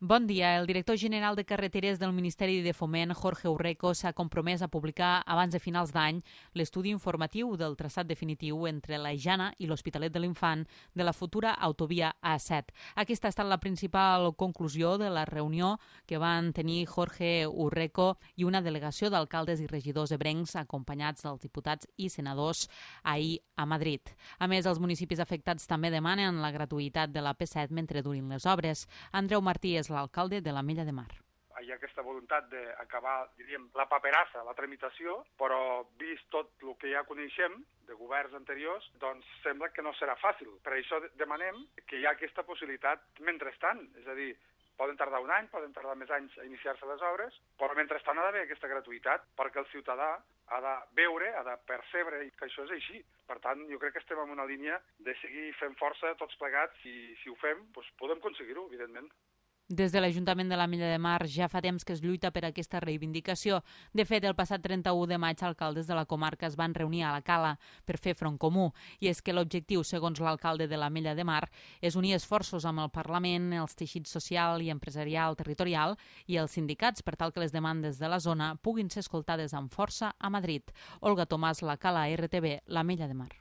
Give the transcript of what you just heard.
Bon dia. El director general de Carreteres del Ministeri de Foment, Jorge Urreco, s'ha compromès a publicar abans de finals d'any l'estudi informatiu del traçat definitiu entre la Jana i l'Hospitalet de l'Infant de la futura autovia A7. Aquesta ha estat la principal conclusió de la reunió que van tenir Jorge Urreco i una delegació d'alcaldes i regidors ebrencs acompanyats dels diputats i senadors ahir a Madrid. A més, els municipis afectats també demanen la gratuïtat de la P7 mentre durin les obres. Andreu Martí és l'alcalde de l'Ametlla de Mar. Hi ha aquesta voluntat d'acabar, diríem, la paperassa, la tramitació, però vist tot el que ja coneixem de governs anteriors, doncs sembla que no serà fàcil. Per això demanem que hi ha aquesta possibilitat mentrestant, és a dir, poden tardar un any, poden tardar més anys a iniciar-se les obres, però mentrestant ha d'haver aquesta gratuïtat perquè el ciutadà ha de veure, ha de percebre que això és així. Per tant, jo crec que estem en una línia de seguir fent força tots plegats i si ho fem, doncs podem aconseguir-ho, evidentment. Des de l'Ajuntament de l'Ametlla de Mar ja fa temps que es lluita per aquesta reivindicació. De fet, el passat 31 de maig, alcaldes de la comarca es van reunir a la Cala per fer front comú. I és que l'objectiu, segons l'alcalde de l'Ametlla de Mar, és unir esforços amb el Parlament, els teixits social i empresarial territorial i els sindicats per tal que les demandes de la zona puguin ser escoltades amb força a Madrid. Olga Tomàs, la Cala RTV, l'Ametlla de Mar.